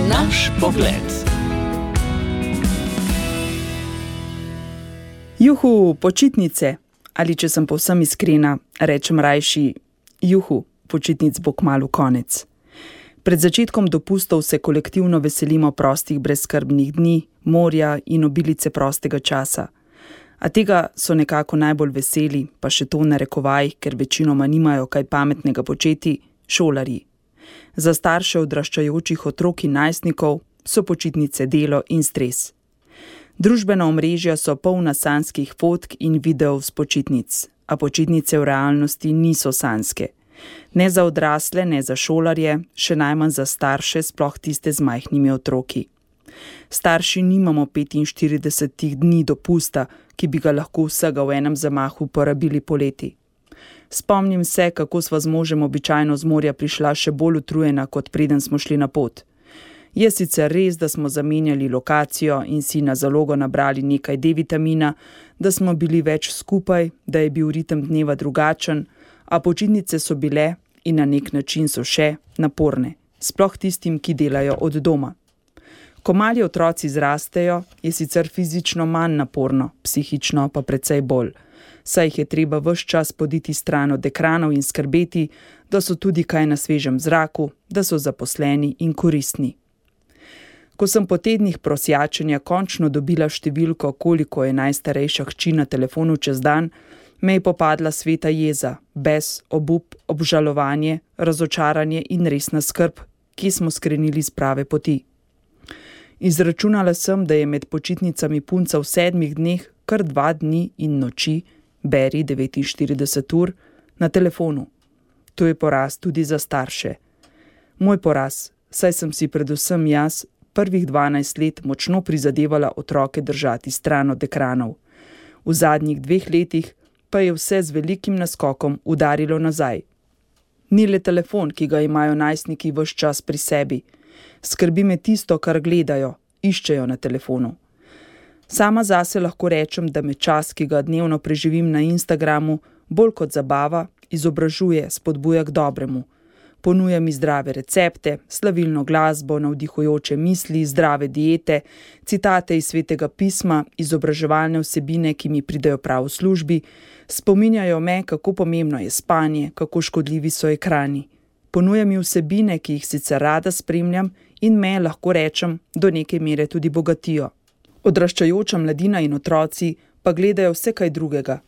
Naš pogled. Juhu, počitnice. Ali če sem povsem iskrena, rečem rajši, juhu, počitnic bo kmalu konec. Pred začetkom dopustov se kolektivno veselimo prostih brezskrbnih dni, morja in obilice prostega časa. A tega so nekako najbolj veseli, pa še to v narekovajih, ker večinoma nimajo kaj pametnega početi, šolarji. Za starše odraščajočih otrok in najstnikov so počitnice delo in stres. Družbena omrežja so polna sanjskih fotk in videov s počitnic, a počitnice v realnosti niso sanjske. Ne za odrasle, ne za šolarje, še najmanj za starše, sploh tiste z majhnimi otroki. Starši nimamo 45 dni dopusta, ki bi ga lahko vsega v enem zamahu porabili poleti. Spomnim se, kako sva z možem običajno z morja prišla še bolj utrujena, kot preden smo šli na pot. Je sicer res, da smo zamenjali lokacijo in si na zalogo nabrali nekaj D-vitamina, da smo bili več skupaj, da je bil ritem dneva drugačen, a počitnice so bile in na nek način so še naporne, sploh tistim, ki delajo od doma. Ko mali otroci zrastejo, je sicer fizično manj naporno, psihično pa precej bolj, saj jih je treba ves čas poditi stran od ekranov in skrbeti, da so tudi kaj na svežem zraku, da so zaposleni in koristni. Ko sem po tednih prosjačenja končno dobila številko, koliko je najstarejša hči na telefonu čez dan, me je popadla sveta jeza, bes, obup, obžalovanje, razočaranje in resna skrb, ki smo skrenili z prave poti. Izračunala sem, da je med počitnicami punca v 7 dneh kar 2 dni in noči, beri 49 ur, na telefonu. To je poraz tudi za starše. Moj poraz, saj sem si predvsem jaz prvih 12 let močno prizadevala otroke držati stran od ekranov. V zadnjih 2 letih pa je vse z velikim naskokom udarilo nazaj. Ni le telefon, ki ga imajo najstniki ves čas pri sebi. Skrbi me tisto, kar gledajo, iščejo na telefonu. Sama zase lahko rečem, da me čas, ki ga dnevno preživim na Instagramu, bolj kot zabava, izobražuje, spodbuja k dobremu. Ponuja mi zdrave recepte, slavilno glasbo, navdihujoče misli, zdrave diete, citate iz Svetega pisma, izobraževalne vsebine, ki mi pridejo prav v službi, spominjajo me, kako pomembno je spanje, kako škodljivi so ekrani. Ponuja mi vsebine, ki jih sicer rada spremljam in me, lahko rečem, do neke mere tudi bogatijo. Odraščajoča mladina in otroci pa gledajo vse kaj drugega.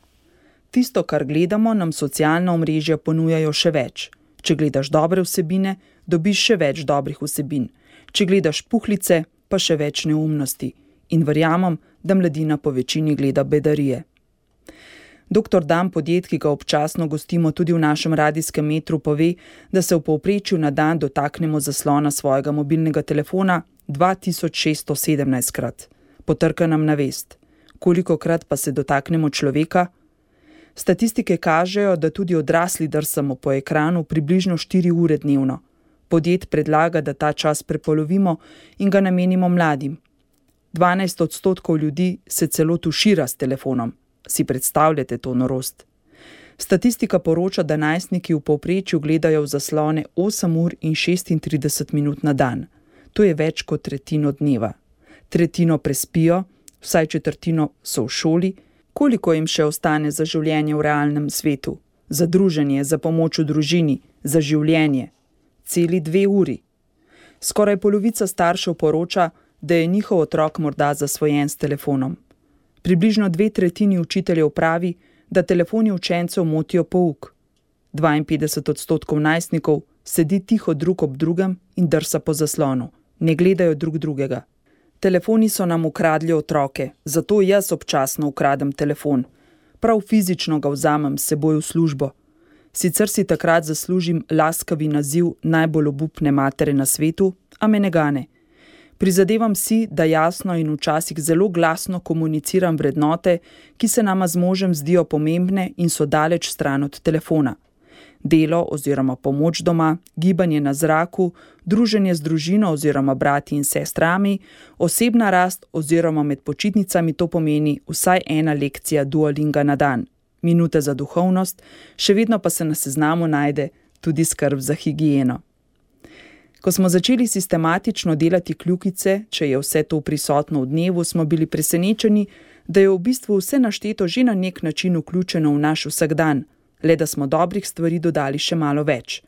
Tisto, kar gledamo, nam socialna omrežja ponujajo še več. Če gledaš dobre vsebine, dobiš še več dobrih vsebin. Če gledaš puhlice, pa še več neumnosti. In verjamem, da mladina po večini gleda bedarije. Dr. Dan Podjed, ki ga občasno gostimo tudi v našem radijskem metru, pove, da se v povprečju na dan dotaknemo zaslona svojega mobilnega telefona 2617-krat. Potrka nam na vest. Kolikokrat pa se dotaknemo človeka? Statistike kažejo, da tudi odrasli drsamo po ekranu približno 4 ure dnevno. Podjed predlaga, da ta čas prepolovimo in ga namenimo mladim. 12% ljudi se celo tušira s telefonom. Si predstavljate to norost? Statistika poroča, da najstniki v povprečju gledajo v zaslone 8 ur in 36 minut na dan. To je več kot tretjino dneva. Tretjino prespijo, vsaj četrtino so v šoli. Koliko jim še ostane za življenje v realnem svetu, za druženje, za pomoč v družini, za življenje? Celi 2 uri. Skoraj polovica staršev poroča, da je njihov otrok morda zasvojen s telefonom. Približno 2/3 učiteljev pravi, da telefoni učencev motijo pouk. 52% najstnikov sedi tiho drug ob drugem in drsa po zaslonu, ne gledajo drug drugega. Telefoni so nam ukradli otroke, zato jaz občasno ukradem telefon. Prav fizično ga vzamem s seboj v službo. Sicer si takrat zaslužim laskavi naziv najbolj obupne matere na svetu, a me ne gane. Prizadevam si, da jasno in včasih zelo glasno komuniciram vrednote, ki se nama z možem zdijo pomembne in so daleč stran od telefona. Delo oziroma pomoč doma, gibanje na zraku, druženje z družino oziroma brati in sestrami, osebna rast oziroma med počitnicami to pomeni vsaj 1 lekcija Duolinga na dan, minuta za duhovnost, še vedno pa se na seznamu najde tudi skrb za higieno. Ko smo začeli sistematično delati kljukice, če je vse to prisotno v dnevu, smo bili presenečeni, da je v bistvu vse našteto že na nek način vključeno v naš vsakdan, le da smo dobrih stvari dodali še malo več.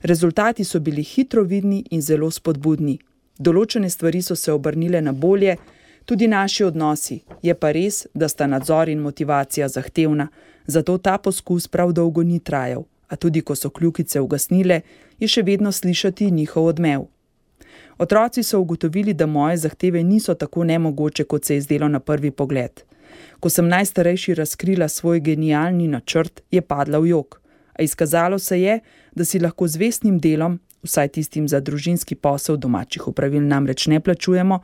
Rezultati so bili hitro vidni in zelo spodbudni. Določene stvari so se obrnile na bolje, tudi naši odnosi. Je pa res, da sta nadzor in motivacija zahtevna, zato ta poskus prav dolgo ni trajal, a tudi ko so kljukice ugasnile, je še vedno slišati njihov odmev. Otroci so ugotovili, da moje zahteve niso tako nemogoče, kot se je zdelo na prvi pogled. Ko sem najstarejši razkrila svoj genialni načrt, je padla v jok. A izkazalo se je, da si lahko z vestnim delom, vsaj tistim za družinski posel, domačih opravil namreč ne plačujemo,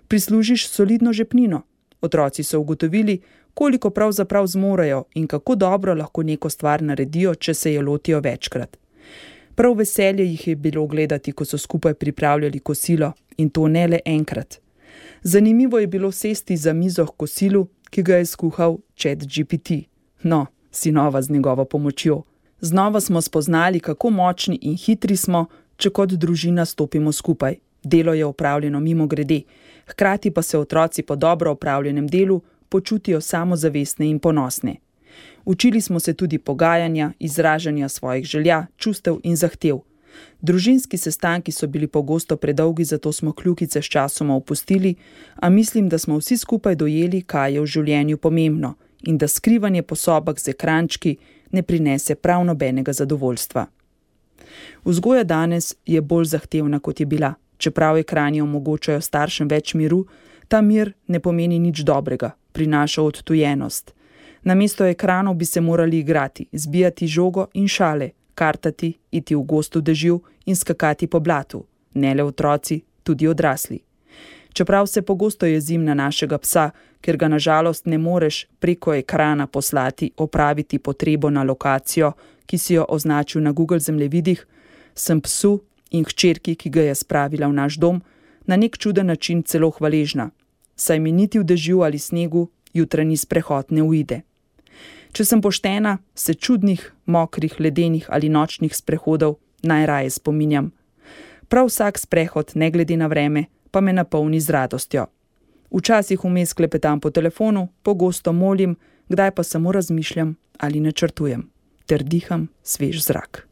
prislužiš solidno žepnino. Otroci so ugotovili, koliko pravzaprav zmorejo in kako dobro lahko neko stvar naredijo, če se je lotijo večkrat. Prav veselje jih je bilo gledati, ko so skupaj pripravljali kosilo, in to ne le enkrat. Zanimivo je bilo sesti za mizo k kosilu, ki ga je skuhal ChatGPT. No, sinova z njegovo pomočjo. Znova smo spoznali, kako močni in hitri smo, če kot družina stopimo skupaj. Delo je opravljeno mimogrede, hkrati pa se otroci po dobro opravljenem delu počutijo samozavestne in ponosne. Učili smo se tudi pogajanja, izražanja svojih želja, čustev in zahtev. Družinski sestanki so bili pogosto predolgi, zato smo kljukice sčasoma opustili, a mislim, da smo vsi skupaj dojeli, kaj je v življenju pomembno in da skrivanje po sobah z ekrančki ne prinese prav nobenega zadovoljstva. Vzgoja danes je bolj zahtevna, kot je bila. Čeprav ekrani omogočajo staršem več miru, ta mir ne pomeni nič dobrega, prinaša odtujenost. Namesto ekranov bi se morali igrati, zbijati žogo in šale, kartati, iti v gostu dežju in skakati po blatu. Ne le otroci, tudi odrasli. Čeprav se pogosto jezim na našega psa, ker ga na žalost ne moreš preko ekrana poslati opraviti potrebo na lokacijo, ki si jo označil na Google zemljevidih, sem psu in hčerki, ki ga je spravila v naš dom, na nek čuden način celo hvaležna, saj mi niti v dežju ali snegu jutranji sprehod ne uide. Če sem poštena, se čudnih, mokrih, ledenih ali nočnih sprehodov najraje spominjam. Prav vsak sprehod, ne glede na vreme, pa me napolni z radostjo. Včasih vmes klepetam po telefonu, pogosto molim, kdaj pa samo razmišljam ali načrtujem, ter diham svež zrak.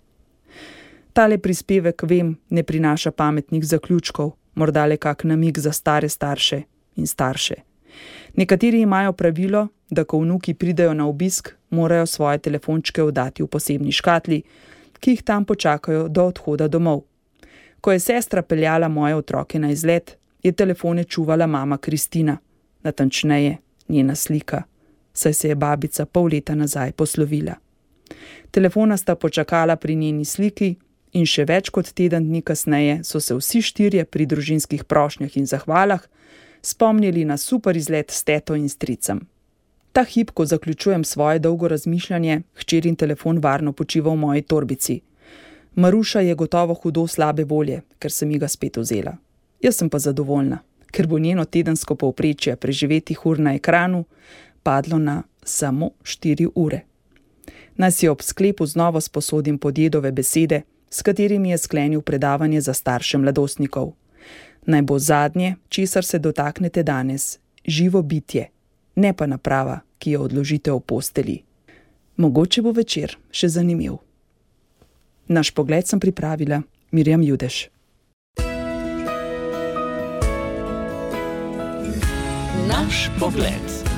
Tale prispevek, vem, ne prinaša pametnih zaključkov, morda le kak namig za stare starše in starše. Nekateri imajo pravilo, da ko vnuki pridejo na obisk, morajo svoje telefončke oddati v posebni škatli, ki jih tam počakajo do odhoda domov. Ko je sestra peljala moje otroke na izlet, je telefone čuvala mama Kristina, natančneje njena slika, saj se je babica pol leta nazaj poslovila. Telefona sta počakala pri njeni sliki in še več kot teden dni kasneje so se vsi štirje pri družinskih prošnjah in zahvalah spomnili na super izlet s teto in stricem. Ta hip, ko zaključujem svoje dolgo razmišljanje, hčerin telefon varno počiva v moji torbici. Maruša je gotovo hudo slabe volje, ker sem ji ga spet vzela. Jaz sem pa zadovoljna, ker bo njeno tedensko povprečje preživetih ur na ekranu padlo na samo 4 ure. Naj si ob sklepu znova sposodim podjedove besede, s katerimi je sklenil predavanje za starše mladostnikov. Naj bo zadnje, česar se dotaknete danes, živo bitje, ne pa naprava, ki jo odložite v posteli. Mogoče bo večer še zanimiv. Naš pogled sem pripravila Mirjam Judež. Naš pogled.